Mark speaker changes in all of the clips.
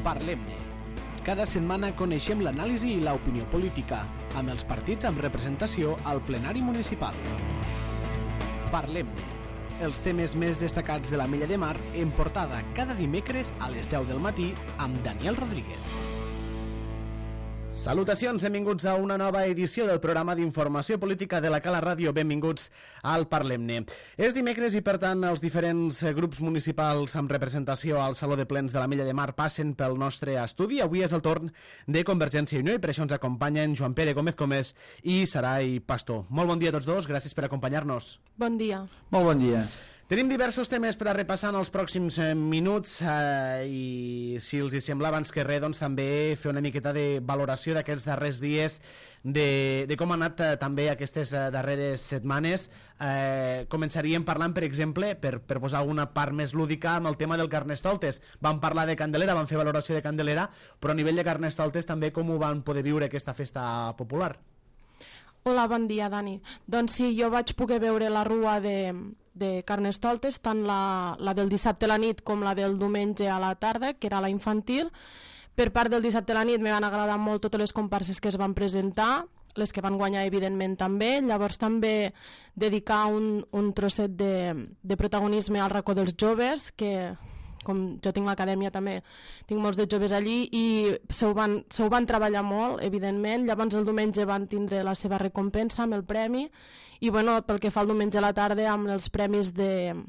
Speaker 1: Parlem-ne. Cada setmana coneixem l'anàlisi i l'opinió política, amb els partits amb representació al plenari municipal. Parlem-ne. Els temes més destacats de la Mella de Mar en portada cada dimecres a les 10 del matí amb Daniel Rodríguez. Salutacions, benvinguts a una nova edició del programa d'informació política de la Cala Ràdio. Benvinguts al Parlem-ne. És dimecres i, per tant, els diferents grups municipals amb representació al Saló de Plens de la Mella de Mar passen pel nostre estudi. Avui és el torn de Convergència i Unió i per això ens acompanyen Joan Pere Gómez i Sarai Pastor. Molt bon dia a tots dos, gràcies per acompanyar-nos.
Speaker 2: Bon dia.
Speaker 3: Molt bon dia.
Speaker 1: Tenim diversos temes per a repassar en els pròxims minuts i si els hi sembla abans que res doncs, també fer una miqueta de valoració d'aquests darrers dies de com han anat també aquestes darreres setmanes. Començaríem parlant, per exemple, per posar alguna part més lúdica amb el tema del Carnestoltes. Vam parlar de Candelera, vam fer valoració de Candelera, però a nivell de Carnestoltes també com ho van poder viure aquesta festa popular.
Speaker 2: Hola, bon dia, Dani. Doncs sí, jo vaig poder veure la rua de Carnestoltes, tant la del dissabte a la nit com la del diumenge a la tarda, que era la infantil. Per part del dissabte a la nit me van agradar molt totes les comparses que es van presentar, les que van guanyar evidentment també. Llavors també dedicar un trosset de protagonisme al racó dels joves, que com jo tinc l'acadèmia també, tinc molts de joves allí i se ho van treballar molt, evidentment. Llavors el diumenge van tindre la seva recompensa amb el premi i bueno, pel que fa al diumenge a la tarda amb els premis de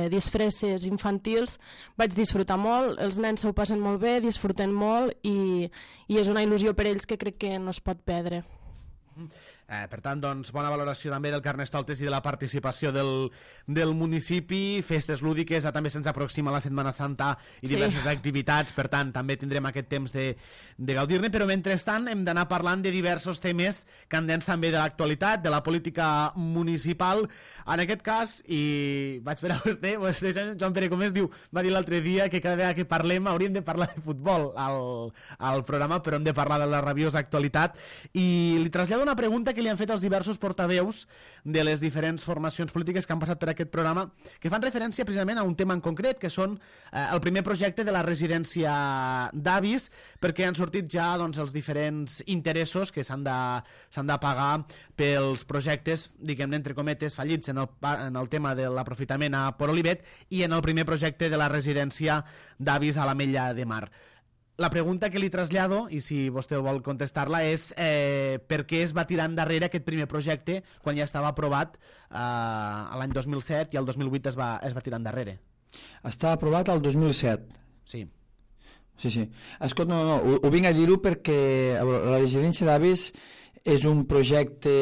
Speaker 2: disfresses infantils vaig disfrutar molt, els nens s'ho passen molt bé, disfruten molt i és una il·lusió per ells que crec que no es pot perdre.
Speaker 1: Per tant, doncs, bona valoració també del Carnestoltes i de la participació del municipi, festes lúdiques, també se'ns aproxima la Setmana Santa i diverses activitats, per tant, també tindrem aquest temps de gaudir-ne, però mentrestant hem d'anar parlant de diversos temes candents també de l'actualitat, de la política municipal. En aquest cas, i vaig per a vostè Joan Pere Gómez, va dir l'altre dia que cada vegada que parlem hauríem de parlar de futbol al programa, però hem de parlar de la rabiosa actualitat, i li trasllado una pregunta que li han fet els diversos portaveus de les diferents formacions polítiques que han passat per aquest programa, que fan referència precisament a un tema en concret, que són el primer projecte de la residència d'avis, perquè han sortit ja doncs, els diferents interessos que s'han de pagar pels projectes, diguem-ne, entre cometes, fallits en el tema de l'aprofitament a Port Olivet i en el primer projecte de la residència d'avis a la Mella de Mar. La pregunta que li trasllado, i si vostè vol contestar-la, és per què es va tirar endarrere aquest primer projecte quan ja estava aprovat l'any 2007 i el 2008 es va tirar endarrere?
Speaker 3: Estava aprovat el 2007.
Speaker 1: Sí.
Speaker 3: Sí. Escolta, no, ho vinc a dir-ho perquè la residència d'avis és un projecte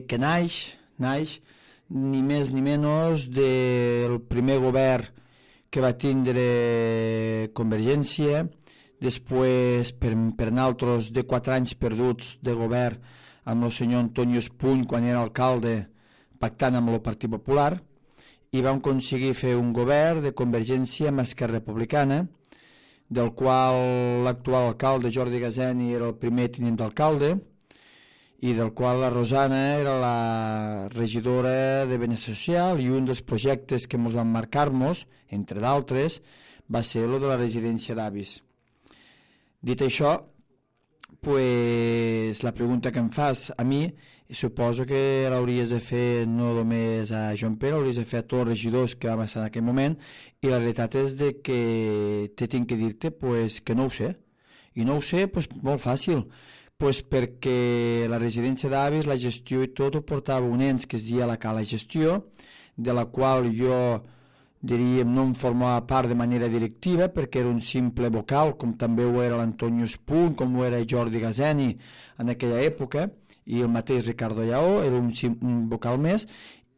Speaker 3: que naix ni més ni menys del primer govern que va tindre Convergència. Després, per naltros de 4 anys perduts de govern amb el senyor Antonio Espuny quan era alcalde pactant amb el Partit Popular, i vam aconseguir fer un govern de Convergència amb Esquerra Republicana, del qual l'actual alcalde Jordi Gazeni era el primer tinent d'alcalde i del qual la Rosana era la regidora de Benestar Social, i un dels projectes que ens van marcar-nos, entre d'altres, va ser el de la residència d'avis. Dit això, pues, la pregunta que em fas a mi, suposo que l'hauries de fer no només a Joan Pere, l'hauries de fer a tots els regidors que vam estar en aquell moment, i la realitat és de que tinc que dir-te pues, que no ho sé. I no ho sé pues, molt fàcil, pues, perquè la residència d'avis, la gestió i tot ho portava un ens que es deia la Cala Gestió, de la qual jo diríem, no em formava part de manera directiva perquè era un simple vocal, com també ho era l'Antonio Espuny, com ho era Jordi Gazeni en aquella època, i el mateix Ricardo Lleó, era un vocal més,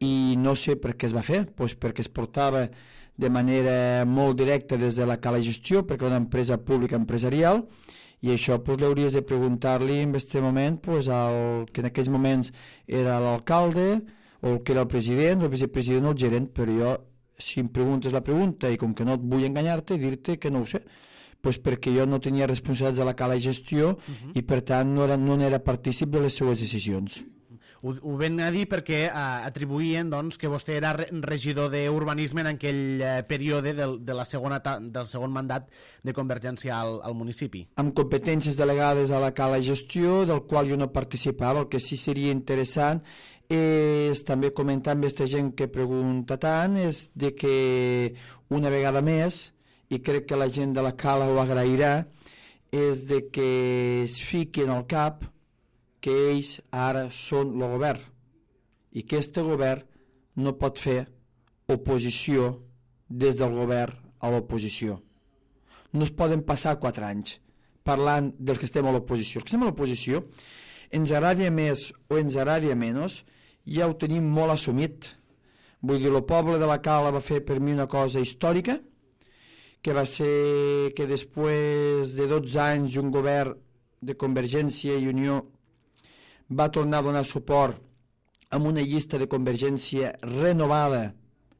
Speaker 3: i no sé per què es va fer, doncs perquè es portava de manera molt directa des de la Cala Gestió, perquè era una empresa pública empresarial, i això doncs, l'hauries de preguntar-li en aquest moment doncs, que en aquells moments era l'alcalde, o el que era el president, el vicepresident o el gerent, però jo, si em preguntes la pregunta i com que no et vull enganyar-te, dir-te que no ho sé, pues perquè jo no tenia responsabilitats de la Cala Gestió i per tant no era partícip de les seues decisions.
Speaker 1: Ho ven a dir perquè atribuïen doncs, que vostè era regidor d'urbanisme en aquell període del segon mandat de Convergència al municipi.
Speaker 3: Amb competències delegades a la cala gestió, del qual jo no participava. El que sí seria interessant és també comentar amb aquesta gent que pregunta tant, és de que una vegada més, i crec que la gent de la cala ho agrairà, és de que es fiquen al cap que ells ara són el govern i que aquest govern no pot fer oposició des del govern a l'oposició. No es poden passar 4 anys parlant dels que estem a l'oposició. Els que estem a l'oposició, ens agrada més o ens agrada menys, ja ho tenim molt assumit. Vull dir, el poble de la Cala va fer per mi una cosa històrica, que va ser que després de 12 anys un govern de Convergència i Unió va tornar a donar suport amb una llista de Convergència renovada,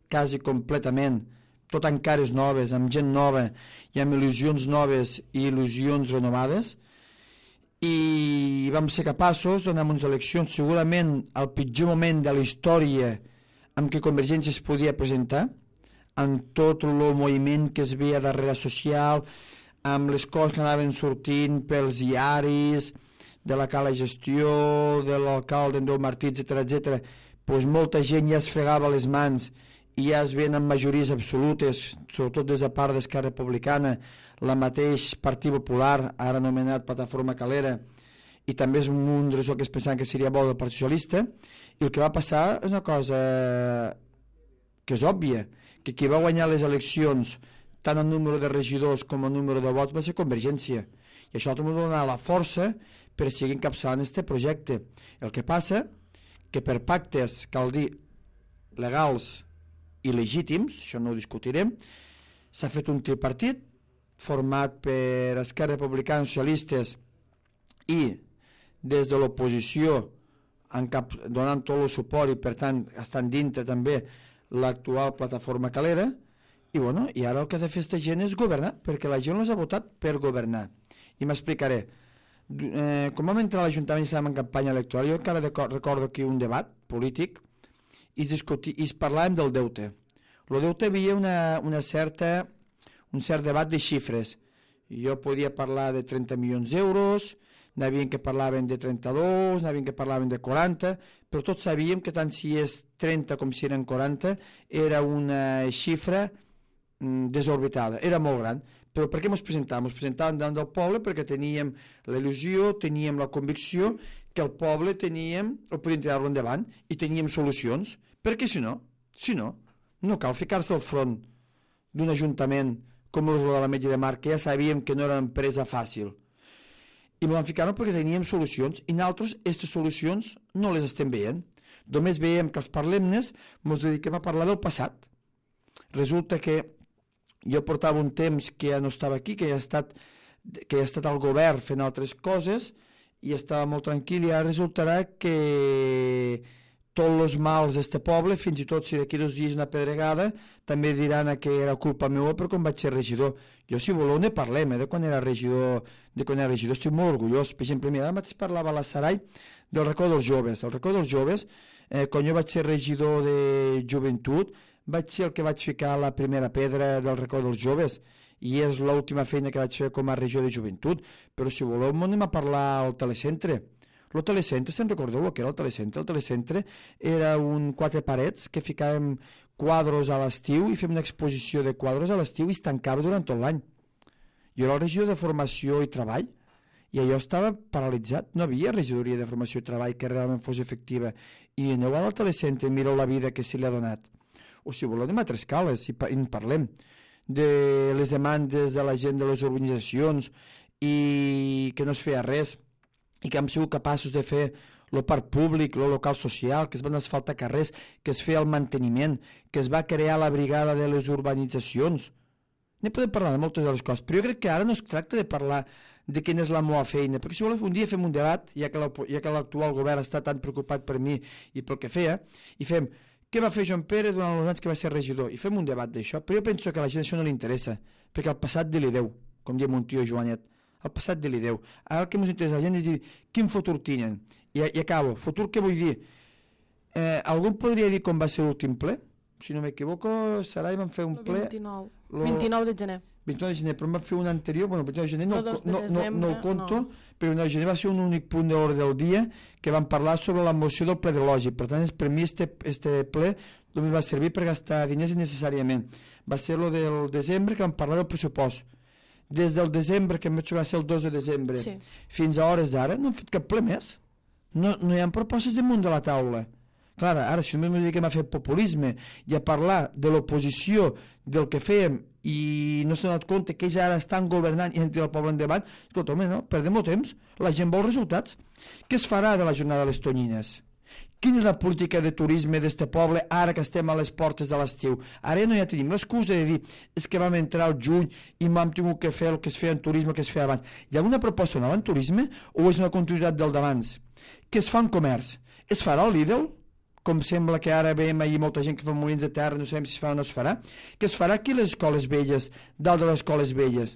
Speaker 3: quasi completament, tot amb cares noves, amb gent nova i amb il·lusions noves i il·lusions renovades, i vam ser capaços de donar unes eleccions segurament al pitjor moment de la història amb què Convergència es podia presentar, amb tot el moviment que es veia darrere social, amb les coses que anaven sortint pels diaris, de la cala gestió, de l'alcalde Andreu Martí, etc., doncs molta gent ja es fregava les mans i ja es veien amb majories absolutes, sobretot des de part d'Esquerra Republicana, la mateix Partit Popular, ara anomenat Plataforma Calera, i també és un munt de que es pensaven que seria bo del Partit Socialista, i el que va passar és una cosa que és òbvia, que qui va guanyar les eleccions tant en número de regidors com en número de vots va ser Convergència, i això també va donar la força per seguir encapçalant aquest projecte. El que passa que per pactes, cal dir, legals i legítims, això no ho discutirem, s'ha fet un tripartit format per Esquerra Republicana, Socialistes i des de l'oposició donant tot el suport i per tant estan dintre també l'actual Plataforma Calera, i bueno, i ara el que ha de fer aquesta gent és governar, perquè la gent els ha votat per governar. I m'explicaré. Com vam entrar a l'Ajuntament i estàvem en campanya electoral, jo encara recordo aquí un debat polític i es parlàvem del deute. El deute havia un cert debat de xifres. Jo podia parlar de 30 milions d'euros, n'havien que parlaven de 32, n'havien que parlaven de 40, però tots sabíem que tant si és 30 com si eren 40 era una xifra desorbitada, era molt gran. Però per què ens presentàvem? Ens presentàvem davant del poble perquè teníem la il·lusió, teníem la convicció que el poble el podíem tirar-lo endavant i teníem solucions, perquè si no, no cal ficar-se al front d'un ajuntament com el de l'Ametlla de Mar, que ja sabíem que no era una empresa fàcil. I ens vam ficar perquè teníem solucions i nosaltres aquestes solucions no les estem veient. Només veiem que els parlemnes ens dediquem a parlar del passat. Resulta que jo portava un temps que ja no estava aquí, que ja he estat al govern fent altres coses i estava molt tranquil, i ara resultarà que tots els mals d'este poble, fins i tot si d'aquí 2 dies una pedregada, també diran que era culpa meva per quan vaig ser regidor. Jo, si voleu, ne parlem, de quan era regidor, estic molt orgullós. Per exemple, mira, ara mateix parlava a la Sarai del racó dels joves. El racó dels joves, quan jo vaig ser regidor de joventut, vaig ser el que vaig ficar la primera pedra del racó dels joves, i és l'última feina que vaig fer com a regidor de joventut. Però si voleu, anem a parlar al telecentre. El telecentre, se'n recordeu el que era el telecentre? El telecentre era 4 parets que ficàvem quadros a l'estiu i fem una exposició de quadros a l'estiu i es tancava durant tot l'any. Jo era el regidor de formació i treball i allò estava paralitzat, no havia regidoria de formació i treball que realment fos efectiva, i aneu al telecentre i mireu la vida que se li ha donat. O si voleu anem a Trescales i en parlem de les demandes de la gent de les urbanitzacions i que no es feia res, i que hem sigut capaços de fer el parc públic, el local social, que es van asfaltar carrers, que es feia el manteniment, que es va crear la brigada de les urbanitzacions. Ne podem parlar de moltes de les coses, però jo crec que ara no es tracta de parlar de quina és la meva feina, perquè si voleu un dia fem un debat, ja que l'actual govern està tan preocupat per mi i pel que feia, i fem què va fer Joan Pere durant els anys que va ser regidor, i fem un debat d'això, però jo penso que a la gent això no li interessa, perquè el passat de li deu, com diu mon tio Joanet. el passat de l'ideu. Ara el que ens interessa a la gent és dir quin futur tenen. I acabo. Futur què vull dir? Algú podria dir com va ser l'últim ple? Si no m'equivoco, Sarai vam fer un ple...
Speaker 2: 29 de gener.
Speaker 3: 29 de gener, però vam fer un anterior, bueno, 29 de gener no el conto, però 29 de gener va ser un únic punt d'ordre del dia que vam parlar sobre la moció del ple de lògic. Per tant, per mi este ple només va servir per gastar diners innecessàriament. Va ser lo del desembre que vam parlar del pressupost. Des del desembre, que em vaig va ser el 2 de desembre, fins a hores d'ara, no hem fet cap ple més. No hi ha propostes damunt de la taula. Clar, ara, si només m'ho dediquem a fer populisme i a parlar de l'oposició, del que fèiem, i no s'ha donat compte que ells ara estan governant i han tirat el poble endavant, escolta, home, no, perdem el temps, la gent vol resultats. Què es farà de la jornada de les tonyines? Quina és la política de turisme d'este poble ara que estem a les portes de l'estiu? Ara no ja tenim l'excusa de dir és que vam entrar al juny i m'hem tingut que fer el que es feia en turisme, el que es feia abans. Hi ha alguna proposta nova en turisme o és una continuïtat del d'abans? Què es fa en comerç? Es farà el Lidl? Com sembla que ara veiem ahir molta gent que fa molins de terra, no sabem si es farà o no es farà. Què es farà aquí a les escoles velles, dalt de les escoles velles?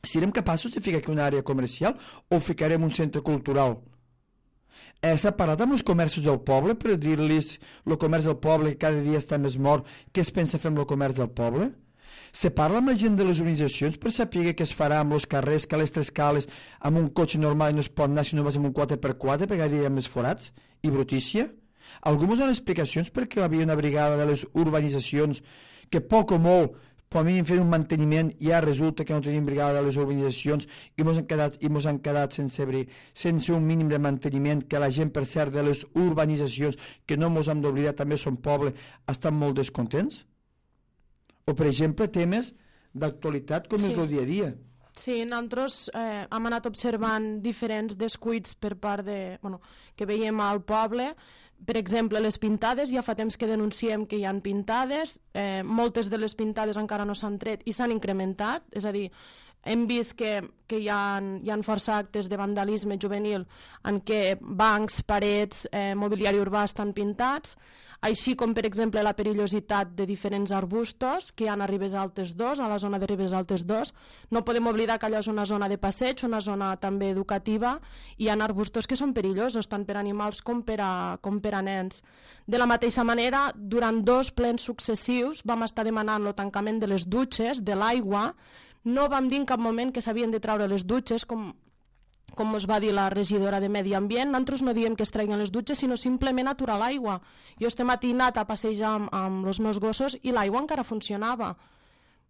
Speaker 3: Serem capaços de ficar aquí una àrea comercial o ficarem un centre cultural? S'ha parlat amb els comerços del poble per dir-los el comerç del poble que cada dia està més mort, què es pensa fer amb el comerç del poble? Se parla amb la gent de les organitzacions per saber què es farà amb els carrers, que a les tres cales amb un cotxe normal no es pot anar si no vas amb un 4x4 perquè cada dia hi ha més forats i brutícia? Algú ens dona explicacions perquè hi havia una brigada de les urbanitzacions que poc o molt, com a mínim fent un manteniment, ja resulta que no tenim brigada de les urbanitzacions i mos han quedat sense un mínim de manteniment, que la gent, per cert, de les urbanitzacions, que no mos hem d'oblidar, també són poble, estan molt descontents? O, per exemple, temes d'actualitat com és el dia a dia.
Speaker 2: Sí, nosaltres hem anat observant diferents descuits per part de... que veiem al poble. Per exemple, les pintades, ja fa temps que denunciem que hi han pintades, moltes de les pintades encara no s'han tret i s'han incrementat, és a dir, hem vist que hi ha força actes de vandalisme juvenil en què bancs, parets, mobiliari urbà estan pintats, així com, per exemple, la perillositat de diferents arbustos que hi ha a Ribes Altes 2, a la zona de Ribes Altes 2. No podem oblidar que allò és una zona de passeig, una zona també educativa, i hi ha arbustos que són perillosos, tant per animals com per a nens. De la mateixa manera, durant 2 plens successius vam estar demanant el tancament de les dutxes, de l'aigua. No vam dir en cap moment que s'havien de treure les dutxes, com us va dir la regidora de Medi Ambient. Nosaltres no diem que es treguin les dutxes, sinó simplement aturar l'aigua. Jo este matí he anat a passejar amb els meus gossos i l'aigua encara funcionava.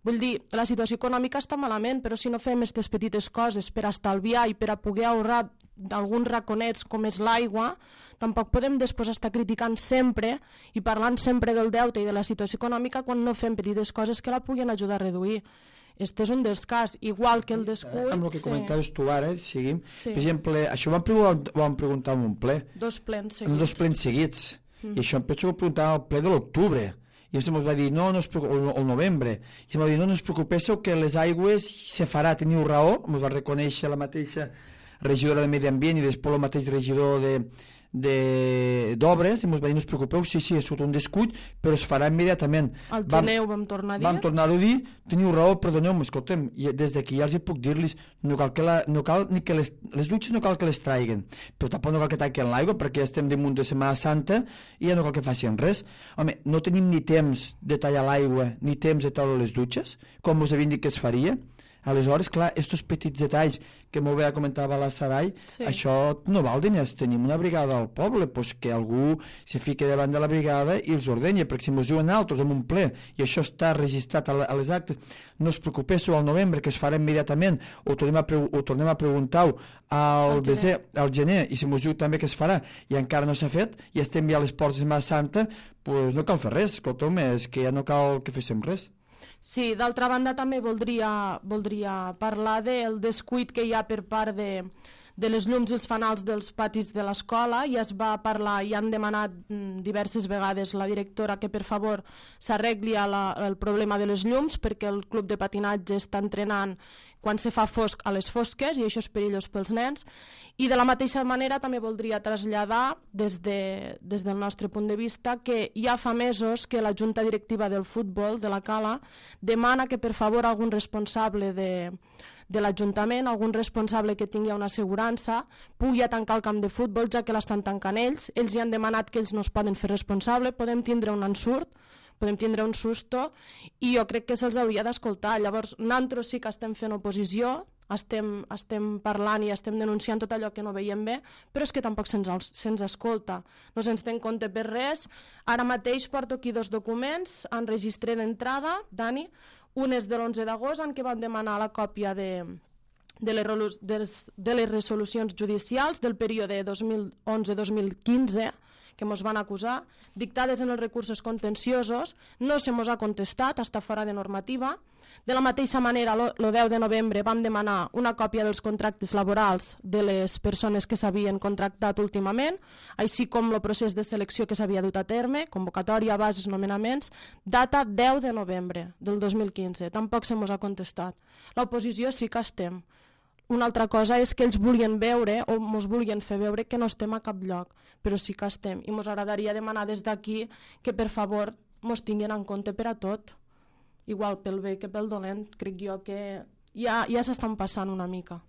Speaker 2: Vull dir, la situació econòmica està malament, però si no fem aquestes petites coses per estalviar i per a poder ahorrar d'alguns raconets com és l'aigua, tampoc podem després estar criticant sempre i parlant sempre del deute i de la situació econòmica quan no fem petites coses que la puguin ajudar a reduir. Este és un dels casos, igual que el descuit...
Speaker 3: Amb el que comentaves tu ara, seguim. Per exemple, això ho vam preguntar en un ple.
Speaker 2: 2 plens seguits.
Speaker 3: 2 plens seguits. I això em penso que ho preguntàvem al ple de l'octubre. I ens va dir, no es preocupeu, el novembre. I em va dir, no us preocupéssiu que les aigües se farà, teniu raó. Ens va reconèixer la mateixa regidora de Medi Ambient i després el mateix regidor d'obres, i ens va dir, no us preocupeu, sí, és un descuit, però es farà immediatament.
Speaker 2: Al gener ho vam tornar a dir.
Speaker 3: Vam tornar-ho a dir, teniu raó, perdoneu-me, escoltem, des d'aquí ja els puc dir-los, no cal ni que les dutxes no cal que les traiguen, però tampoc no cal que taquen l'aigua, perquè ja estem damunt de Setmana Santa i ja no cal que facin res. Home, no tenim ni temps de tallar l'aigua, ni temps de tallar les dutxes, com us havien dit que es faria. Aleshores, clar, estos petits detalls que molt bé comentava la Sarai, això no val diners. Tenim una brigada al poble, doncs que algú se fiqui davant de la brigada i els ordenya, perquè si ens diuen altres en un ple i això està registrat a les actes, no us preocupéssiu al novembre, que es farà immediatament, ho tornem a preguntar al gener, i si ens diu també que es farà i encara no s'ha fet, i estem ja a les portes de Setmana Santa, doncs no cal fer res, escolta'm, és que ja no cal que féssim res.
Speaker 2: Sí, d'altra banda també voldria parlar del descuit que hi ha per part de les llums i els fanals dels patis de l'escola. Ja es va parlar i han demanat diverses vegades la directora que per favor s'arregli el problema de les llums, perquè el club de patinatge està entrenant quan se fa fosc a les fosques i això és perillós pels nens. I de la mateixa manera també voldria traslladar des del nostre punt de vista que ja fa mesos que la Junta Directiva del Futbol de la Cala demana que per favor algun responsable de l'Ajuntament, algun responsable que tingui una assegurança, pugui tancar el camp de futbol, ja que l'estan tancant ells. Ells hi han demanat que ells no es poden fer responsable, podem tindre un ensurt, podem tindre un susto, i jo crec que se'ls hauria d'escoltar. Llavors, nosaltres sí que estem fent oposició, estem parlant i estem denunciant tot allò que no veiem bé, però és que tampoc se'ns escolta, no se'ns té en compte per res. Ara mateix porto aquí 2 documents en registre d'entrada, Dani, un és de l'11 d'agost en què vam demanar la còpia de les resolucions judicials del període 2011-2015 que ens van acusar, dictades en els recursos contenciosos, no se mos ha contestat, està fora de normativa. De la mateixa manera, el 10 de novembre vam demanar una còpia dels contractes laborals de les persones que s'havien contractat últimament, així com el procés de selecció que s'havia dut a terme, convocatòria, bases, nomenaments, data 10 de novembre del 2015. Tampoc se mos ha contestat. L'oposició sí que estem. Una altra cosa és que ells volien veure o ens volien fer veure que no estem a cap lloc, però sí que estem, i ens agradaria demanar des d'aquí que per favor ens tinguin en compte per a tot, igual pel bé que pel dolent. Crec jo que ja s'estan passant una mica.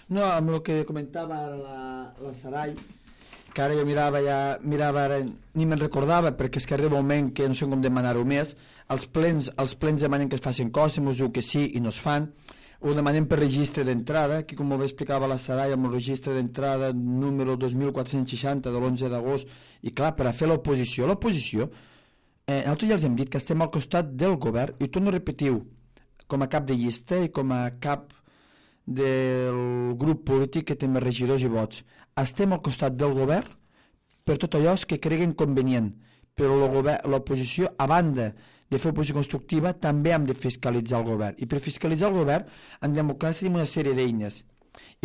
Speaker 3: No, amb el que comentava la Sarai, que ara jo mirava ara, ni me'n recordava, perquè és que arriba un moment que no sé com demanar-ho més. Els plens demanen que es facin coses, ens diu que sí i no es fan. Ho demanem per registre d'entrada, que com ho explicava la Sarai, amb el registre d'entrada número 2460 de l'11 d'agost, i clar, per a fer l'oposició, nosaltres ja els hem dit que estem al costat del govern, i torno a repetir, com a cap de llista i com a cap del grup polític que té més regidors i vots, estem al costat del govern per tot allò que creguen convenient, però l'oposició, a banda de fer oposició constructiva, també hem de fiscalitzar el govern. I per fiscalitzar el govern, en democràcia tenim una sèrie d'eines.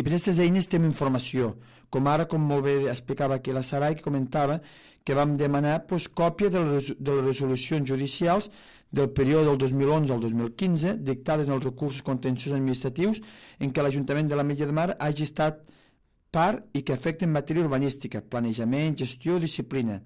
Speaker 3: I per aquestes eines tenim informació. Com ara, com molt bé explicava aquí la Sarai, que comentava que vam demanar còpia de les resolucions judicials del període del 2011 al 2015, dictades en els recursos contenciosos administratius, en què l'Ajuntament de l'Ametlla de Mar hagi estat part i que afecten matèria urbanística, planejament, gestió, disciplina.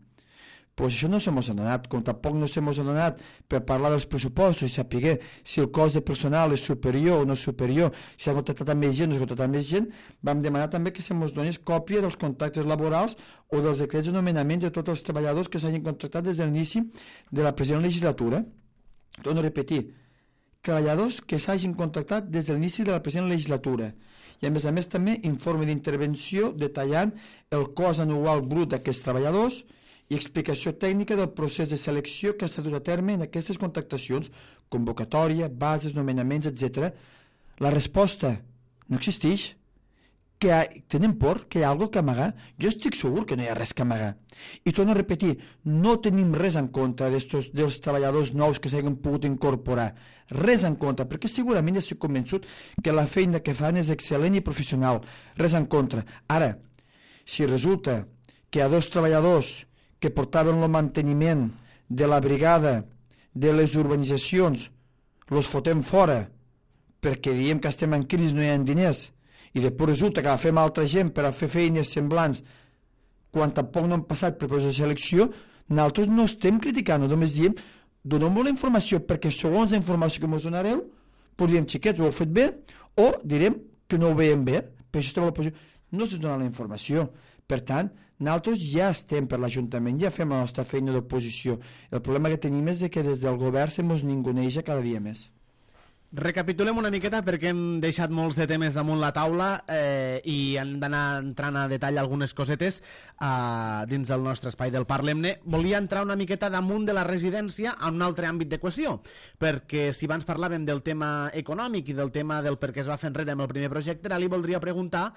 Speaker 3: Pues això no se mos ha donat, com tampoc no se mos ha donat per parlar dels pressupostos i saber si el cost de personal és superior o no superior, si s'ha contractat amb més gent o no s'ha contractat amb més gent. Vam demanar també que se mos donés còpia dels contractes laborals o dels decrets de nomenament de tots els treballadors que s'hagin contractat des de l'inici de la present legislatura. Torno a repetir, treballadors que s'hagin contractat des de l'inici de la present legislatura. I a més també informe d'intervenció detallant el cost anual brut d'aquests treballadors i explicació tècnica del procés de selecció que s'ha dut a terme en aquestes contractacions, convocatòria, bases, nomenaments, etc. La resposta no existeix. Tenen por? Que hi ha alguna cosa que amagar? Jo estic segur que no hi ha res que amagar. I torno a repetir, no tenim res en contra dels treballadors nous que s'hagin pogut incorporar. Res en contra, perquè segurament ja estic convençut que la feina que fan és excel·lent i professional. Res en contra. Ara, si resulta que hi ha 2 treballadors que portaven el manteniment de la brigada de les urbanitzacions, los fotem fora perquè diem que estem en crisi, no hi ha diners, i després resulta que agafem altra gent per a fer feines semblants quan tampoc no han passat per procés de selecció, nosaltres no estem criticant, només diem, donem-vos la informació, perquè segons la informació que ens donareu, podríem, xiquets, ho heu fet bé, o direm que no ho veiem bé, per això estem a l'oposició. No se'ns dona la informació. Per tant, nosaltres ja estem per l'Ajuntament, ja fem la nostra feina d'oposició. El problema que tenim és que des del govern se mos ninguneja cada dia més.
Speaker 1: Recapitulem una miqueta perquè hem deixat molts de temes damunt la taula i hem d'anar entrant a detall algunes cosetes dins del nostre espai del Parlem-ne. Volia entrar una miqueta damunt de la residència a un altre àmbit de qüestió, perquè si abans parlàvem del tema econòmic i del tema del per què es va fer enrere amb el primer projecte, ara li voldria preguntar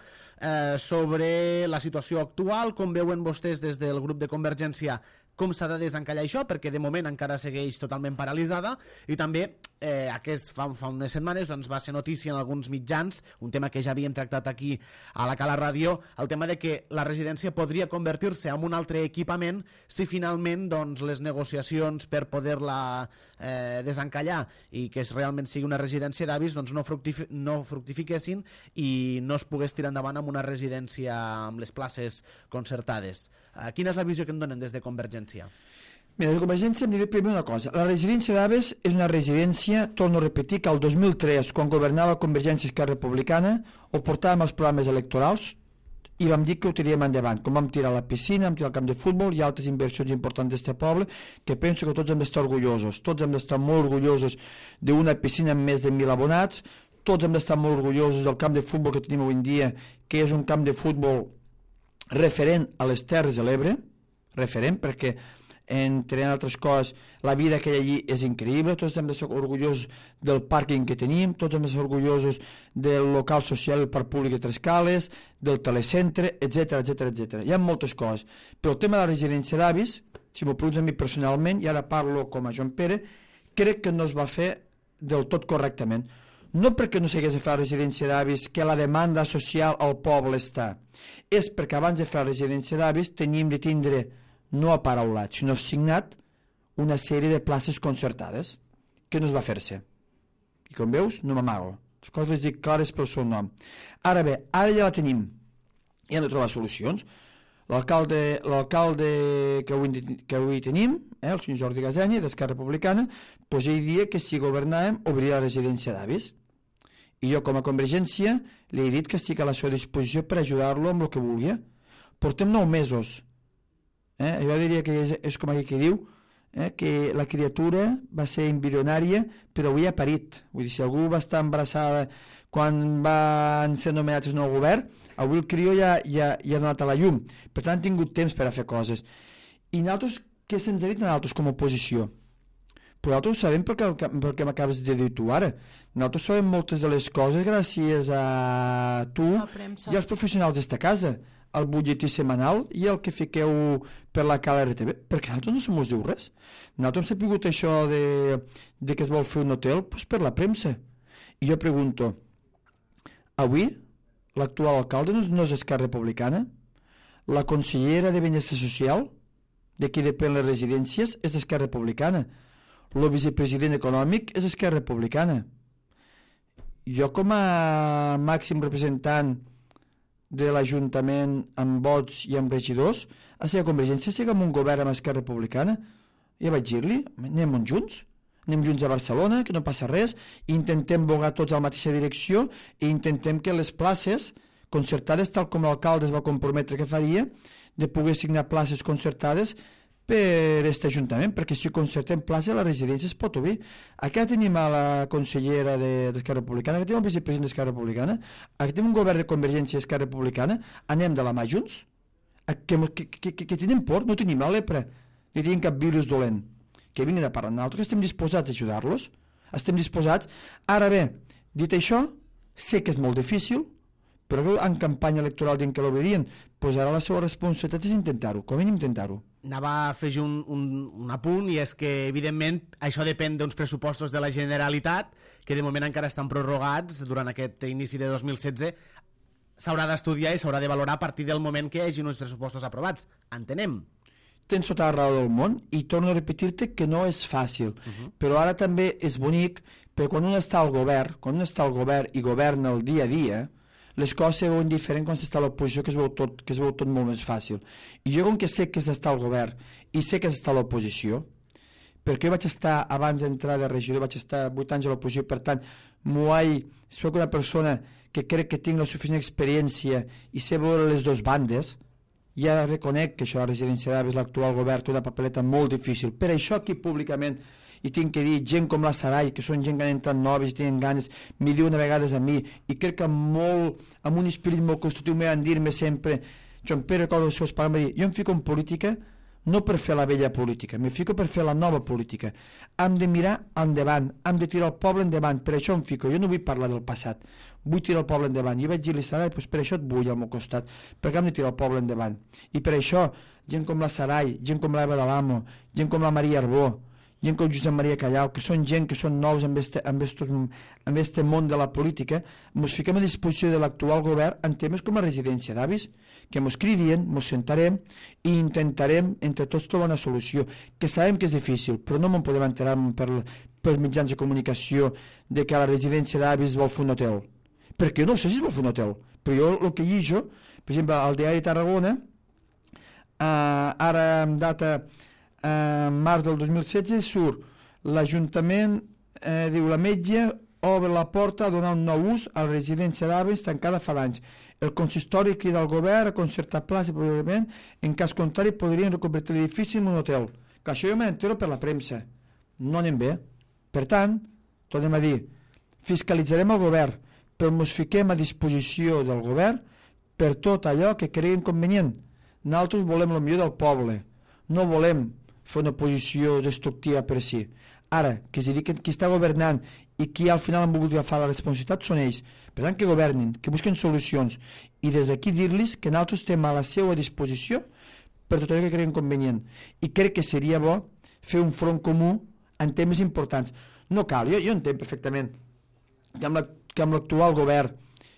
Speaker 1: sobre la situació actual, com veuen vostès des del grup de Convergència com s'ha de desencallar això, perquè de moment encara segueix totalment paralitzada, i també fa unes setmanes doncs, va ser notícia en alguns mitjans, un tema que ja havíem tractat aquí a la Cala Ràdio, el tema de que la residència podria convertir-se en un altre equipament si finalment doncs, les negociacions per poder-la desencallar i que realment sigui una residència d'avis doncs, no fructifiquessin i no es pogués tirar endavant amb una residència amb les places concertades. Quina és la visió que en donen des de Convergència?
Speaker 3: Mira, de Convergència em diré primer una cosa. La residència d'Aves és una residència, torno a repetir, que el 2003, quan governava Convergència Esquerra Republicana, ho portàvem als programes electorals i vam dir que ho tiríem endavant. Com vam tirar la piscina, vam tirar el camp de futbol i altres inversions importants d'aquest poble, que penso que tots hem d'estar orgullosos. Tots hem d'estar molt orgullosos d'una piscina amb més de 1.000 abonats, tots hem d'estar molt orgullosos del camp de futbol que tenim avui en dia, que és un camp de futbol referent a les Terres de l'Ebre, referent perquè entre altres coses, la vida que hi ha allí és increïble, tots hem de ser orgullosos del pàrquing que tenim, tots hem de ser orgullosos del local social, el parc públic de Trescales, del telecentre, etc etc. Hi ha moltes coses, però el tema de la residència d'avis, si m'ho preguntes a mi personalment, i ara parlo com a Joan Pere, crec que no es va fer del tot correctament. No perquè no s'hagués de fer la residència d'avis, que la demanda social al poble està, és perquè abans de fer la residència d'avis teníem de tindre no aparaulat, sinó signat una sèrie de places concertades que no es va fer-se. I com veus, no m'amago. Les coses les dic clares pel seu nom. Ara bé, ara ja la tenim. I hem de trobar solucions. L'alcalde que avui tenim, el senyor Jordi Gasenya, d'Esquerra Republicana, doncs ell dia que si governàvem obriria la residència d'avis. I jo com a Convergència li he dit que estic a la seva disposició per ajudar-lo amb el que vulgui. Portem 9 mesos. Jo diria que és com aquell que diu que la criatura va ser embrionària però avui ha parit. Vull dir, si algú va estar embarassada quan van ser nomenats el nou govern, avui el crió ja ha donat a la llum. Per tant, han tingut temps per a fer coses. I nosaltres, què se'ns ha dit a nosaltres com a oposició? Però nosaltres ho sabem perquè m'acabes de dir tu ara. Nosaltres sabem moltes de les coses gràcies a tu i als professionals d'esta casa, el butlletí setmanal i el que fiqueu per la KRTV, perquè nosaltres no se mos diu res. Nosaltres hem sapigut això de que es vol fer un hotel doncs per la premsa. I jo pregunto, avui l'actual alcalde no és Esquerra Republicana? La consellera de Benestar Social, de qui depèn les residències, és d'Esquerra Republicana. El vicepresident econòmic és Esquerra Republicana. Jo com a màxim representant de l'Ajuntament amb vots i amb regidors, a la Convergència sigui amb un govern amb Esquerra Republicana. Ja vaig dir-li, anem junts a Barcelona, que no passa res, intentem bogar tots a la mateixa direcció i intentem que les places concertades, tal com l'alcalde es va comprometre que faria, de poder signar places concertades per aquest Ajuntament, perquè si concertem places a la residència es pot obrir. Aquí tenim a la consellera d'Esquerra Republicana, aquí tenim el vicepresident d'Esquerra Republicana, aquí tenim un govern de Convergència d'Esquerra Republicana, anem de la mà junts, que tenim por, no tenim la lepra, ni tenim cap virus dolent, que vinguin a parlar amb nosaltres, que estem disposats a ajudar-los, estem disposats. Ara bé, dit això, sé que és molt difícil, però en campanya electoral dient que l'obririen, doncs ara la seva responsabilitat és intentar-ho, com a mínim intentar-ho.
Speaker 1: Anava a afegir un apunt, i és que evidentment això depèn d'uns pressupostos de la Generalitat que de moment encara estan prorrogats durant aquest inici de 2016. S'haurà d'estudiar i s'haurà de valorar a partir del moment que hi hagi uns pressupostos aprovats. Entenem?
Speaker 3: Tens tota la raó del món i torno a repetir-te que no és fàcil, però ara també és bonic perquè quan un està al govern, i governa el dia a dia, les coses se veuen diferent quan s'està a l'oposició, que es veu tot molt més fàcil. I jo, com que sé que s'està al govern i sé que s'està a l'oposició, perquè jo vaig estar, abans d'entrar de regidor, vaig estar 8 anys a l'oposició, per tant, soc una persona que crec que tinc la suficient experiència i sé veure les dues bandes. Ja reconec que això de la residència d'avis, l'actual govern, té una papeleta molt difícil. Per això aquí públicament, i tinc que dir, gent com la Sarai, que són gent que han entrat noves i tenen ganes, m'hi diuen a vegades a mi, i crec que amb un esperit molt constructiu m'hi van dir-me sempre, Joan Pere, com els seus pares, jo em fico en política no per fer la vella política, m'hi fico per fer la nova política. Hem de mirar endavant, hem de tirar el poble endavant, per això em fico, jo no vull parlar del passat, vull tirar el poble endavant. I vaig dir-li, Sarai, doncs per això et vull al meu costat, perquè hem de tirar el poble endavant. I per això, gent com la Sarai, gent com l'Eva de l'Amo, gent com la Maria Arbó, gent com Josep Maria Callau, que són gent que són nous en este món de la política, ens fiquem a disposició de l'actual govern en temes com la residència d'avis, que ens cridien, ens sentarem i intentarem entre tots trobar una solució, que sabem que és difícil, però no me'n podem enterar per mitjans de comunicació de que a la residència d'avis vol fer un hotel, perquè jo no sé si es vol fer un hotel, però jo el que llijo, per exemple, al diari Tarragona, ara en data en març del 2016 surt l'Ajuntament, diu la metge, obre la porta a donar un nou ús a la residència d'avis tancada fa anys. El consistori crida al govern a concertar plans i probablement, en cas contrari, podrien reconvertir l'edifici en un hotel. Que això jo m'entero per la premsa. No anem bé. Per tant, tornem a dir, fiscalitzarem el govern, però ens fiquem a disposició del govern per tot allò que creguem convenient. Nosaltres volem el millor del poble. No volem fer una posició destructiva per si. Ara, que es dediquen, qui està governant i qui al final han volgut agafar la responsabilitat són ells. Per tant, que governin, que busquen solucions. I des d'aquí dir-los que nosaltres estem a la seva disposició per tot allò que creguem convenient. I crec que seria bo fer un front comú en temes importants. No cal, jo entenc perfectament que amb l'actual govern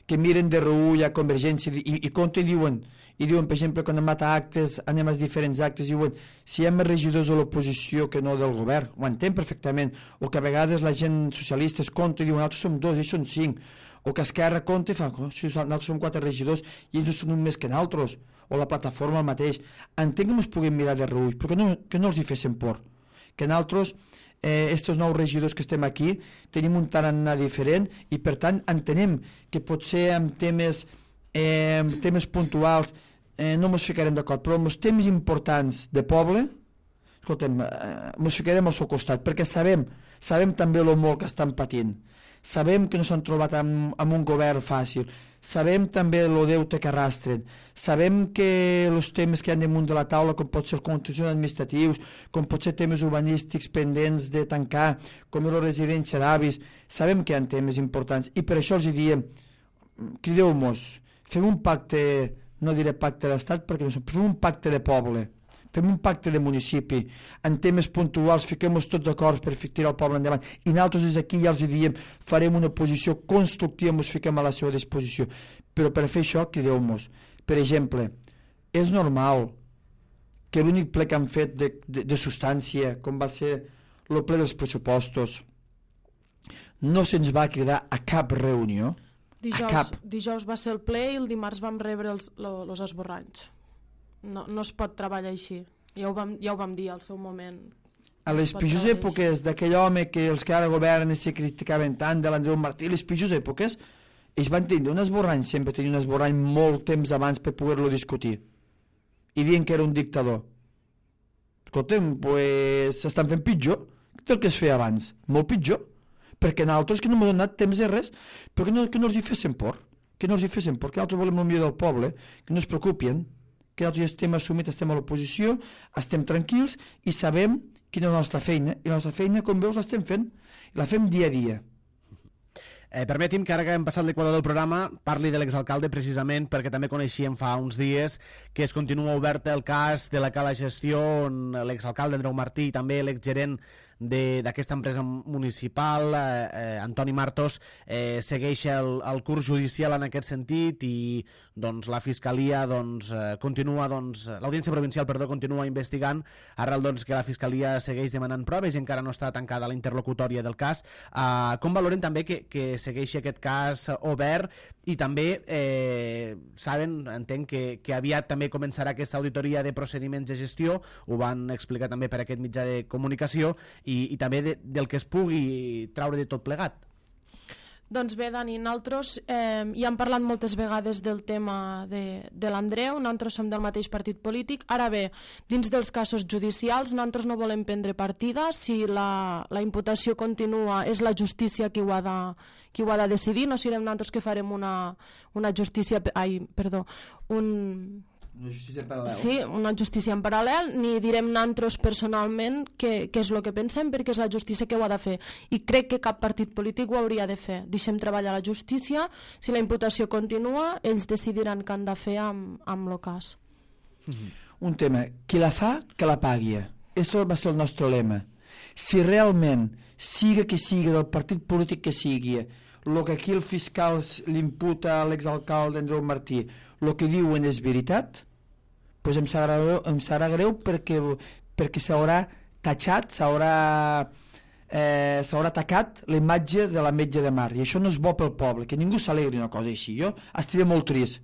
Speaker 3: que miren de reull a Convergència i compten i diuen, per exemple, quan anem a actes, anem als diferents actes, diuen, si hi ha més regidors de l'oposició que no del govern, ho entenc perfectament, o que a vegades la gent socialista es compta i diuen, nosaltres som 2, ells són 5, o que Esquerra compta i fa, si nosaltres som 4 regidors i ells no són un més que nosaltres, o la plataforma el mateix. Entenc que ens puguem mirar de reull, però que no els hi fessin por, que nosaltres estos nous regidors que estem aquí tenim un tarannà diferent i per tant entenem que potser en temes puntuals no ens ficarem d'acord, però en els temes importants de poble, escoltem, ens ficarem al seu costat, perquè sabem també el molt que estan patint, sabem que no s'han trobat amb un govern fàcil, sabem també el deute que arrastren, sabem que els temes que hi ha damunt de la taula, com pot ser els contenciós administratius, com pot ser temes urbanístics pendents de tancar, com és la residència d'avis, sabem que hi ha temes importants i per això els diem, crideu-nos, fem un pacte, no diré pacte d'estat perquè no som, fem un pacte de poble, fem un pacte de municipi, en temes puntuals fiquem-nos tots d'acord per tirar el poble endavant i nosaltres des d'aquí ja els diem farem una posició constructiva, ens fiquem a la seva disposició, però per fer això crideu-nos. Per exemple, és normal que l'únic ple que han fet de substància, com va ser el ple dels pressupostos, no se'ns va cridar a cap reunió,
Speaker 2: Dijous va ser el ple i el dimarts vam rebre els esborranys. No es pot treballar així, ja ho vam dir al seu moment.
Speaker 3: A les pitjors èpoques d'aquell home que els que ara governen se criticaven tant, de l'Andreu Martí, les pitjors èpoques, ells van tenir un esborrany, sempre tenien un esborrany molt temps abans per poder-lo discutir, i dient que era un dictador. Escolta'm, doncs s'estan fent pitjor del que es feia abans, molt pitjor, perquè nosaltres que no m'han donat temps de res, però que no els hi fessin por, que nosaltres volem el millor del poble, que no es preocupin, que nosaltres estem assumits, estem a l'oposició, estem tranquils i sabem quina és la nostra feina, i la nostra feina, com veus, l'estem fent, i la fem dia a dia.
Speaker 1: Permeti'm que ara que hem passat l'equador del programa parli de l'exalcalde precisament perquè també coneixíem fa uns dies que es continua obert el cas de la cala gestió on l'exalcalde Andreu Martí i també l'exgerent d'aquesta empresa municipal, Antoni Martos, segueix el curs judicial en aquest sentit i doncs, la Fiscalia continua, l'Audiència Provincial continua investigant arrel que la Fiscalia segueix demanant proves i encara no està tancada la interlocutòria del cas. Com valoren també que segueixi aquest cas obert i també saben, entenc que aviat també començarà aquesta auditoria de procediments de gestió, ho van explicar també per aquest mitjà de comunicació i també del que es pugui traure de tot plegat.
Speaker 2: Doncs bé, Dani, nosaltres ja hem parlat moltes vegades del tema de l'Andreu, nosaltres som del mateix partit polític. Ara bé, dins dels casos judicials, nosaltres no volem prendre partida. Si la imputació continua, és la justícia qui ho ha de decidir. No serem nosaltres que farem una justícia...
Speaker 3: Una justícia en paral·lel.
Speaker 2: Sí, una justícia en paral·lel, ni direm nosaltres personalment què és el que pensem, perquè és la justícia que ho ha de fer. I crec que cap partit polític ho hauria de fer. Deixem treballar la justícia, si la imputació continua, ells decidiran què han de fer amb el cas.
Speaker 3: Un tema, qui la fa, que la pagui. Això va ser el nostre lema. Si realment, siga que sigui del partit polític que sigui, el que aquí el fiscal l'imputa a l'exalcalde Andreu Martí, el que diuen és veritat, doncs em serà greu perquè s'haurà tatxat, s'haurà atacat la imatge de la metge de mar, i això no és bo pel poble, que ningú s'alegri una cosa així. Jo estaré molt trist,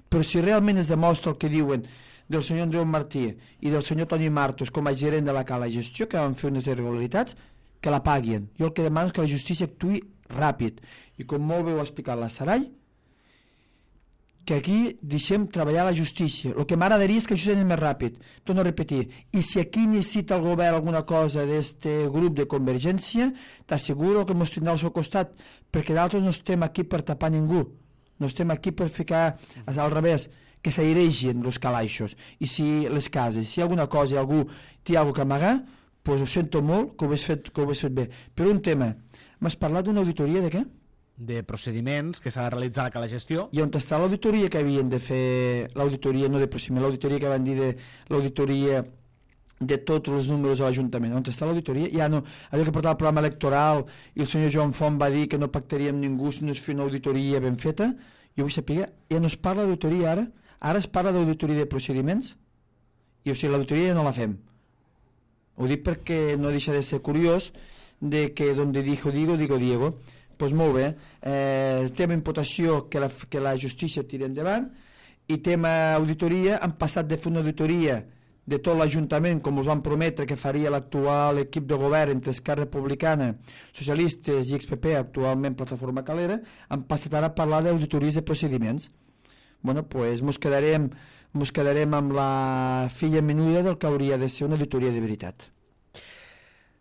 Speaker 3: però si realment es demostra el que diuen del senyor Andreu Martí i del senyor Toni Martos com a gerent de la Cala Gestió, que van fer unes irregularitats, que la paguin. Jo el que demano és que la justícia actuï ràpid. I com molt bé ho ha explicat la Sarai, que aquí deixem treballar la justícia. El que m'agradaria és que això sigui més ràpid. Torno a repetir. I si aquí necessita el govern alguna cosa d'este grup de Convergència, t'asseguro que ens tindrà al seu costat, perquè d'altres no estem aquí per tapar ningú. No estem aquí per ficar al revés, que s'airegin els calaixos. I si les cases, si hi ha alguna cosa i algú té alguna cosa a amagar, doncs ho sento molt que ho hagués fet bé. Però un tema, m'has parlat d'una auditoria de què?
Speaker 1: De procediments que s'ha de realitzar a la Cala Gestió.
Speaker 3: I on està l'auditoria que havien de fer, l'auditoria no de procediment, l'auditoria que van dir de l'auditoria de tots els números de l'Ajuntament, on està l'auditoria? Ja no, allò que portava el programa electoral i el senyor Joan Font va dir que no pactaria amb ningú si no es feia una auditoria ben feta, jo vull saber, ja no es parla d'auditoria ara es parla d'auditoria de procediments, i o sigui, l'auditoria ja no la fem. Ho dic perquè no deixa de ser curiós de que donde dijo digo Diego. Doncs molt bé, tema imputació que la justícia tira endavant, i tema auditoria, han passat de fer una auditoria de tot l'Ajuntament, com us van prometre que faria l'actual equip de govern entre Esquerra Republicana, Socialistes i XPP, actualment Plataforma Calera, han passat ara a parlar d'auditories de procediments. Bueno, doncs mos quedarem amb la filla menuda del que hauria de ser una auditoria de veritat.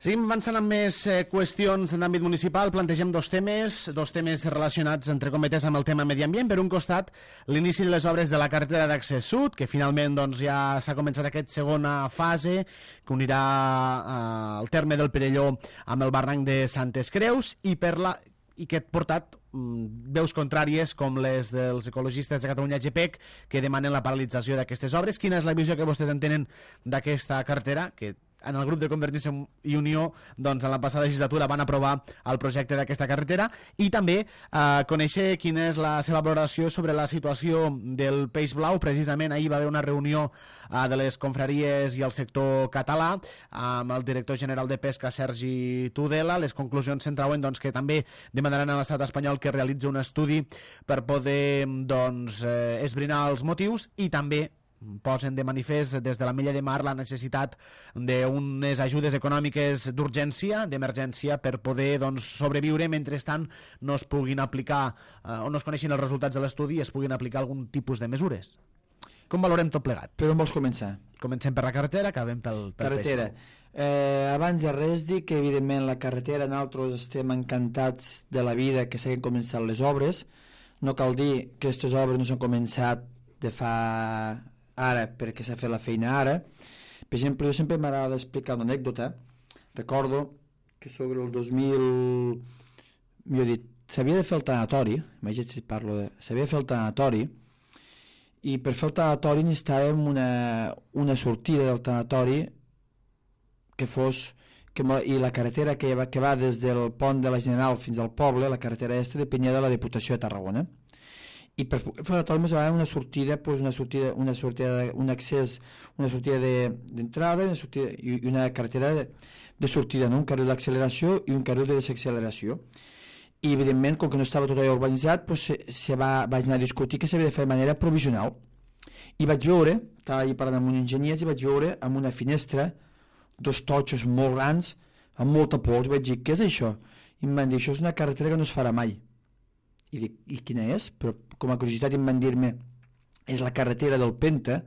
Speaker 1: Seguim avançant amb més qüestions d'àmbit municipal. Plantegem dos temes relacionats, entre cometes, amb el tema medi ambient. Per un costat, l'inici de les obres de la carretera d'accés sud, que finalment doncs, ja s'ha començat aquesta segona fase, que unirà el terme del Perelló amb el barranc de Santes Creus, i que ha portat veus contràries com les dels ecologistes de Catalunya GPEC, que demanen la paralització d'aquestes obres. Quina és la visió que vostès en tenen d'aquesta carretera, que en el grup de Convergència i Unió doncs, en la passada legislatura van aprovar el projecte d'aquesta carretera, i també conèixer quina és la seva valoració sobre la situació del peix blau. Precisament ahir va haver una reunió de les confraries i el sector català amb el director general de Pesca, Sergi Tudela. Les conclusions centrauen doncs, que també demanaran a l'estat espanyol que realitzi un estudi per poder esbrinar els motius, i també posen de manifest des de l'Ametlla de Mar la necessitat d'unes ajudes econòmiques d'urgència, d'emergència, per poder sobreviure mentrestant no es puguin aplicar o no es coneixin els resultats de l'estudi i es puguin aplicar algun tipus de mesures. Com valorem tot plegat?
Speaker 3: Per on vols començar?
Speaker 1: Comencem per la carretera, acabem pel
Speaker 3: carretera. Abans de res dir que evidentment la carretera nosaltres estem encantats de la vida que s'hagin començat les obres. No cal dir que aquestes obres no s'han començat de fa ara perquè s'ha fet la feina ara. Per exemple, jo sempre m'agrada explicar una anècdota. Recordo que sobre el 2000 jo he dit, s'havia de fer el tanatori, imagina't si parlo de... s'havia de fer el tanatori, i per fer el tanatori necessitàvem una sortida del tanatori que fos... i la carretera que va des del pont de la General fins al poble, la carretera aquesta, depenia de la Diputació de Tarragona. I per fer la torna va haver una sortida, un accés, una sortida d'entrada i una carretera de sortida, no? Un carril d'acceleració i un carril de desacceleració. I evidentment, com que no estava tot allò urbanitzat, vaig anar a discutir que s'havia de fer de manera provisional. I vaig veure, estava allà parlant amb un enginyer, i vaig veure amb una finestra dos totxos molt grans, amb molta pols, i vaig dir, què és això? I em van dir, això és una carretera que no es farà mai. I dic, i quina és? Però com a curiositat em van dir-me, és la carretera del Penta,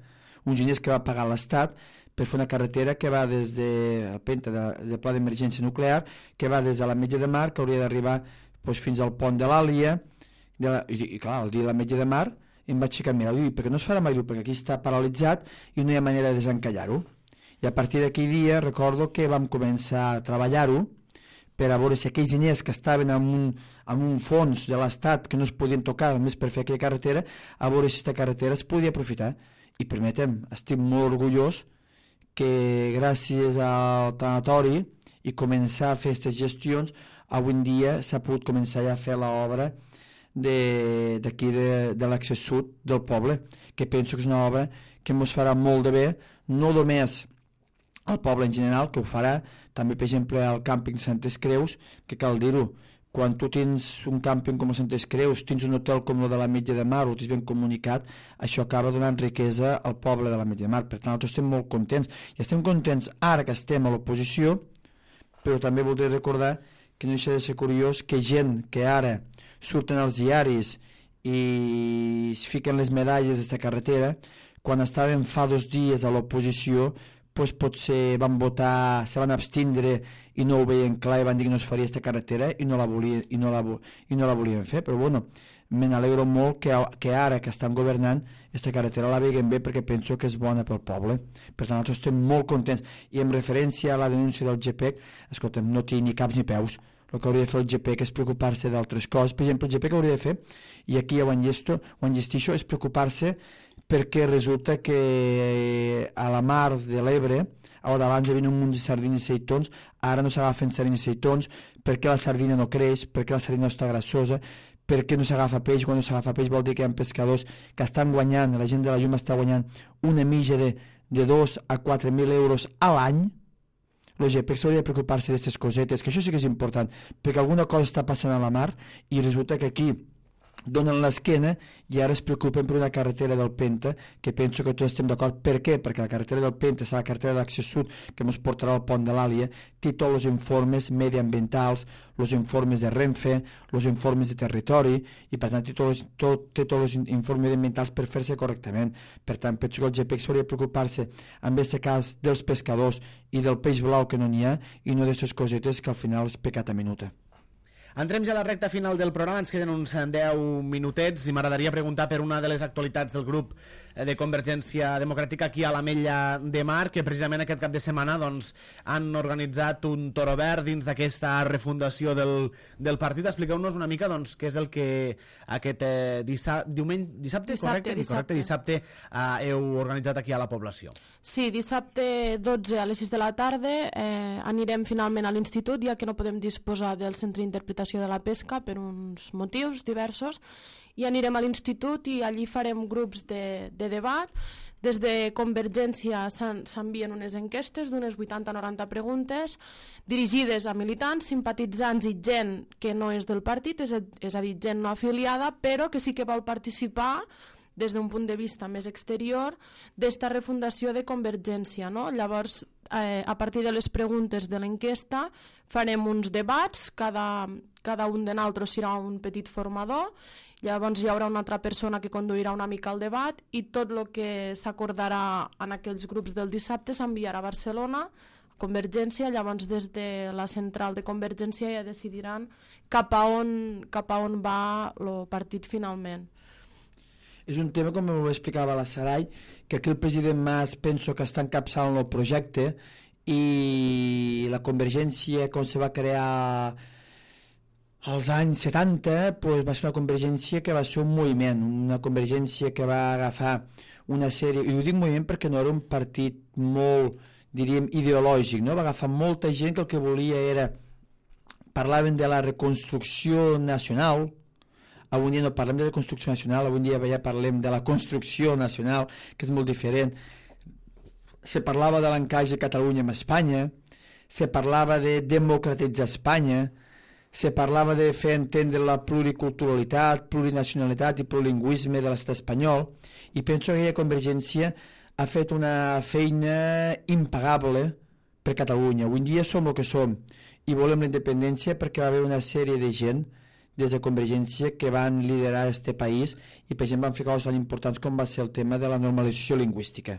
Speaker 3: uns diners que va pagar l'Estat per fer una carretera que va des del Penta, de Pla d'Emergència Nuclear, que va des de l'Ametlla de Mar, que hauria d'arribar fins al pont de l'Àlia, i clar, el dia de l'Ametlla de Mar em vaig ficar a mirar, perquè no es farà mai, perquè aquí està paralitzat i no hi ha manera de desencallar-ho. I a partir d'aquell dia recordo que vam començar a treballar-ho per a veure si aquells diners que estaven en un fons de l'Estat que no es podien tocar només per fer aquella carretera, a veure si aquesta carretera es podia aprofitar. I permetem, estic molt orgullós que gràcies al tanatori i començar a fer aquestes gestions, avui en dia s'ha pogut començar ja a fer l'obra d'aquí de l'accés sud del poble, que penso que és una obra que ens farà molt de bé, no només al poble en general, que ho farà, també per exemple al càmping Santes Creus, que cal dir-ho, quan tu tens un càmping com a Santes Creus, tens un hotel com el de l'Ametlla de Mar, ho tens ben comunicat, això acaba donant riquesa al poble de l'Ametlla de Mar. Per tant, nosaltres estem molt contents. I estem contents ara que estem a l'oposició, però també voldria recordar que no deixa de ser curiós que gent que ara surten als diaris i es fiquen les medalles d'esta carretera, quan estaven fa 2 dies a l'oposició, doncs potser van votar, se van abstindre i no ho veien clar i van dir que no es faria aquesta carretera i no la volien fer. Però bueno, me n'alegro molt que ara que estan governant aquesta carretera la veguen bé, perquè penso que és bona pel poble. Per tant, nosaltres estem molt contents. I en referència a la denúncia del GPEC, escolta'm, no té ni caps ni peus. El que hauria de fer el GPEC és preocupar-se d'altres coses. Per exemple, el GPEC hauria de fer, i aquí ja ho enllestixo, és preocupar-se perquè resulta que a la mar de l'Ebre, on abans hi havia un munt de sardines i seitons, ara no s'agafen sardines i seitons, perquè la sardina no creix, perquè la sardina no està grassosa, perquè no s'agafa peix. Quan no s'agafa peix vol dir que hi ha pescadors que estan guanyant, la gent de la llum està guanyant una mitja de 2 a 4.000 euros a l'any. El GPEC s'hauria de preocupar-se d'aquestes cosetes, que això sí que és important, perquè alguna cosa està passant a la mar i resulta que aquí donen l'esquena i ara es preocupen per una carretera del Penta, que penso que tots estem d'acord. Per què? Perquè la carretera del Penta és la carretera d'accés sud que ens portarà al pont de l'Àlia, té tots els informes mediambientals, els informes de Renfe, els informes de territori, i per tant té tots els informes mediambientals per fer-se correctament. Per tant, penso que el GPEC s'hauria de preocupar-se en aquest cas dels pescadors i del peix blau que no n'hi ha, i no d'aquestes cosetes que al final és pecat a minuta.
Speaker 1: Entrem ja a la recta final del programa, ens queden uns 10 minutets i m'agradaria preguntar per una de les actualitats del grup de Convergència Democràtica aquí a l'Ametlla de Mar, que precisament aquest cap de setmana doncs, han organitzat un toro verd dins d'aquesta refundació del partit. Expliqueu-nos una mica doncs, què és el que aquest dissabte heu organitzat aquí a la població.
Speaker 2: Sí, dissabte 12 a les 6 de la tarda anirem finalment a l'institut, ja que no podem disposar del centre d'interpretació de la pesca per uns motius diversos, i anirem a l'institut i allí farem grups de debat. Des de Convergència s'envien unes enquestes d'unes 80-90 preguntes dirigides a militants, simpatitzants i gent que no és del partit, és a dir, gent no afiliada, però que sí que vol participar des d'un punt de vista més exterior d'esta refundació de Convergència, no? Llavors, a partir de les preguntes de l'enquesta farem uns debats, cada un de nosaltres serà un petit formador, llavors hi haurà una altra persona que conduirà una mica el debat i tot el que s'acordarà en aquells grups del dissabte s'enviarà a Barcelona, a Convergència. Llavors des de la central de Convergència ja decidiran cap a on va el partit finalment.
Speaker 3: És un tema, com ho explicava la Sarai, que aquí el president Mas penso que està encapçalant el projecte, i la Convergència, com se va crear als anys 70, doncs va ser una convergència que va ser un moviment, una convergència que va agafar una sèrie, i ho dic moviment perquè no era un partit molt, diríem, ideològic, no? Va agafar molta gent que el que volia era, parlaven de la reconstrucció nacional. Avui dia no parlem de la construcció nacional, avui dia ja parlem de la construcció nacional, que és molt diferent. Se parlava de l'encaix de Catalunya amb Espanya, se parlava de democratitzar Espanya, se parlava de fer entendre la pluriculturalitat, plurinacionalitat i plurilingüisme de l'estat espanyol, i penso que aquella Convergència ha fet una feina impagable per Catalunya. Avui dia som el que som i volem la independència perquè va haver una sèrie de gent des de Convergència que van liderar este país i per exemple van fer coses tan importants com va ser el tema de la normalització lingüística.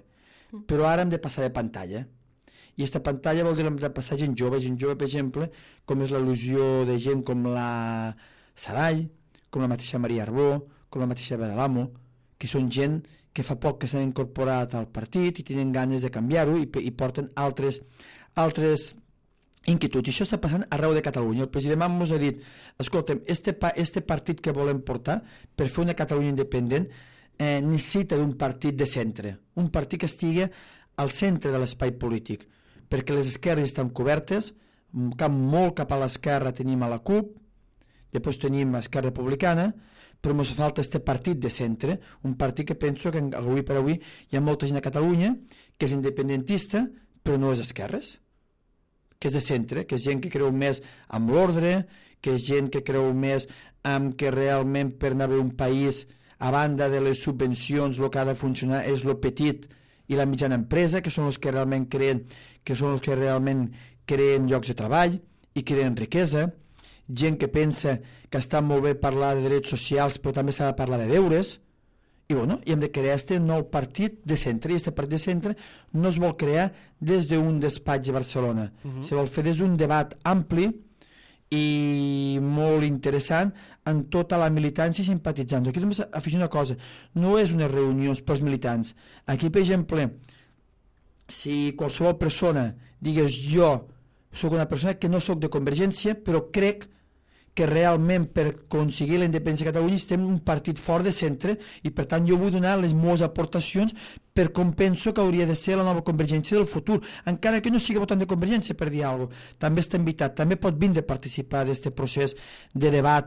Speaker 3: Però ara hem de passar de pantalla. I aquesta pantalla vol dir de passar gent jove, per exemple, com és l'al·lusió de gent com la Sarai, com la mateixa Maria Arbó, com la mateixa Badalamo, que són gent que fa poc que s'han incorporat al partit i tenen ganes de canviar-ho i porten altres inquietuds. I això està passant arreu de Catalunya. El president Mas ens ha dit, escolta'm, este partit que volem portar per fer una Catalunya independent necessita d'un partit de centre, un partit que estigui al centre de l'espai polític, perquè les esquerres estan cobertes, molt cap a l'esquerra tenim a la CUP, després tenim Esquerra Republicana, però ens falta este partit de centre, un partit que penso que avui per avui hi ha molta gent a Catalunya que és independentista, però no és esquerres, que és de centre, que és gent que creu més amb l'ordre, que és gent que creu més en que realment per anar a un país, a banda de les subvencions, el que ha de funcionar és el petit i la mitjana empresa, que són els que realment creen llocs de treball i creen riquesa, gent que pensa que està molt bé parlar de drets socials però també s'ha de parlar de deures, i bueno, hem de crear este nou partit de centre, i aquest partit de centre no es vol crear des d'un despatx a Barcelona, se vol fer des d'un debat ampli i molt interessant en tota la militància i simpatitzants. Aquí només afegir una cosa, no és unes reunions pels militants. Aquí, per exemple, si qualsevol persona digués jo soc una persona que no soc de Convergència, però crec que realment per aconseguir la independència de Catalunya estem un partit fort de centre i per tant jo vull donar les meves aportacions per com penso que hauria de ser la nova Convergència del futur, encara que no sigui votant de Convergència, per dir alguna cosa. També està invitat, també pot vindre a participar d'aquest procés de debat,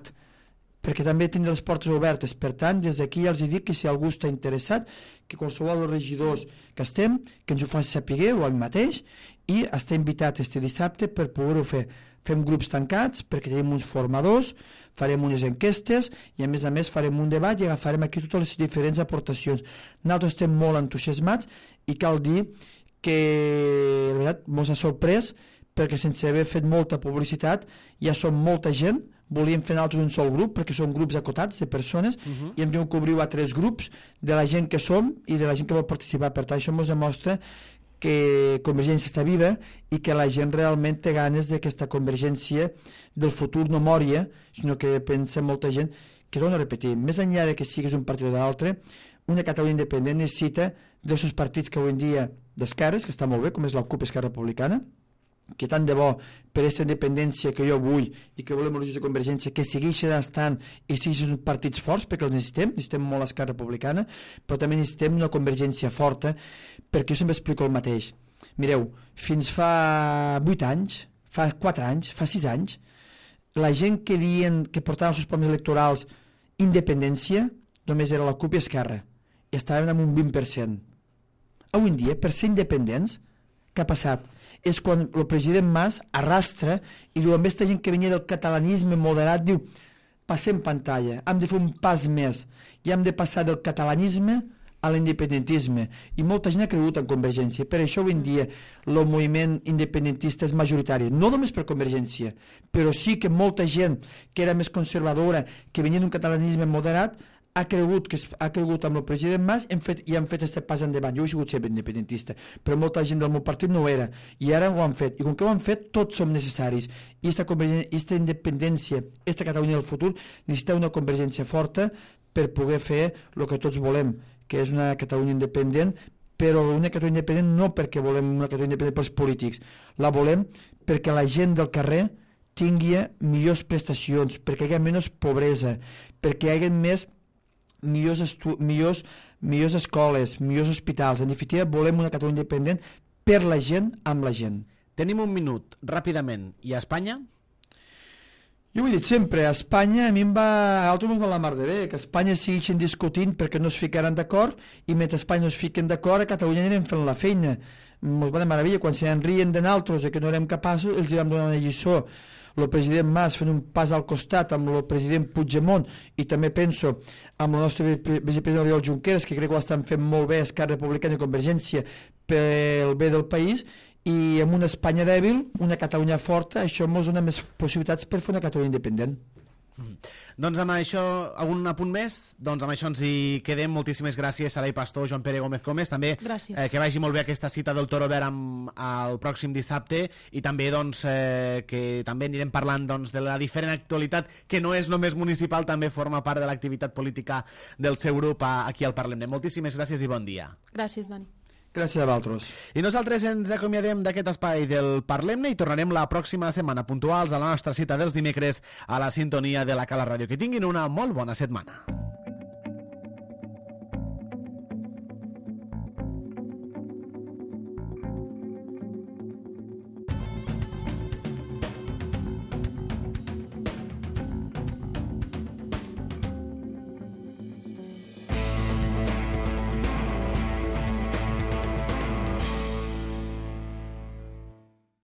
Speaker 3: perquè també tindrà les portes obertes. Per tant, des d'aquí ja els dic que si algú està interessat, que qualsevol dels regidors que estem, que ens ho faci saber o el mateix, i està invitat este dissabte per poder-ho fer. Fem grups tancats perquè tenim uns formadors, farem unes enquestes i a més farem un debat i agafarem aquí totes les diferents aportacions. Nosaltres estem molt entusiasmats i cal dir que la veritat ens ha sorprès perquè sense haver fet molta publicitat ja som molta gent, volíem fer nosaltres un sol grup perquè són grups acotats de persones i hem tingut que obrir a 3 grups de la gent que som i de la gent que vol participar. Per tant, això ens demostra que Convergència està viva i que la gent realment té ganes d'aquesta Convergència del futur no mòria, sinó que pensa molta gent que, torno a repetir, més enllà de que siguis un partit o d'altre, una Catalunya independent necessita dels seus partits que avui en dia d'esquerres, que està molt bé, com és la CUP Esquerra Republicana, que tant de bo per aquesta independència que jo vull i que volem els de Convergència que segueixin estant i siguin partits forts perquè els necessitem molt l'Esquerra Republicana, però també necessitem una Convergència forta, perquè jo sempre explico el mateix. Mireu, fins fa 8 anys, fa 4 anys, fa 6 anys, la gent que diuen que portaven els seus programes electorals independència només era la CUP i Esquerra i estaven en un 20%. Avui en dia, per ser independents, què ha passat? És quan el president Mas arrastra i diu, amb aquesta gent que venia del catalanisme moderat, diu, passem pantalla, hem de fer un pas més i hem de passar del catalanisme a l'independentisme. I molta gent ha cregut en Convergència. Per això avui en dia el moviment independentista és majoritari, no només per Convergència, però sí que molta gent que era més conservadora, que venia d'un catalanisme moderat, ha cregut amb el president Mas i han fet aquest pas endavant. Jo he sigut sempre independentista, però molta gent del meu partit no ho era, i ara ho han fet, i com que ho han fet tots som necessaris, i aquesta independència, aquesta Catalunya del futur necessita una Convergència forta per poder fer el que tots volem, que és una Catalunya independent, però una Catalunya independent no perquè volem una Catalunya independent pels polítics, la volem perquè la gent del carrer tingui millors prestacions, perquè hi hagi menys pobresa, perquè hi hagi millors escoles, millors hospitals. En definitiva, volem una Catalunya independent per la gent, amb la gent.
Speaker 1: Tenim un minut, ràpidament. I a Espanya?
Speaker 3: Jo ho he dit sempre, a Espanya a mi altres ens va la mar de bé, que a Espanya segueixen discutint perquè no es ficaran d'acord i mentre a Espanya no es fiquen d'acord a Catalunya anirem fent la feina. Ens va de meravella, quan se n'enrien de nosaltres que no érem capaços, els vam donar una lliçó. El president Mas fent un pas al costat amb el president Puigdemont i també penso amb el nostre vicepresident Oriol Junqueras, que crec que ho estan fent molt bé Esquerra Republicana i Convergència pel bé del país, i amb una Espanya dèbil, una Catalunya forta, això ens dona més possibilitats per fer una Catalunya independent.
Speaker 1: Doncs amb això, algun apunt més? Doncs amb això ens hi quedem. Moltíssimes gràcies, Saray Pastor, Joan Pere Gómez Comes. També que vagi molt bé aquesta cita del Toro Verd el pròxim dissabte i també doncs, que també anirem parlant doncs, de la diferent actualitat que no és només municipal, també forma part de l'activitat política del seu grup aquí al Parlem. Moltíssimes gràcies i bon dia.
Speaker 2: Gràcies, Dani.
Speaker 3: Gràcies a vosaltres.
Speaker 1: I nosaltres ens acomiadem d'aquest espai del Parlem-ne i tornarem la pròxima setmana puntuals a la nostra cita dels dimecres a la sintonia de la Cala Ràdio. Que tinguin una molt bona setmana.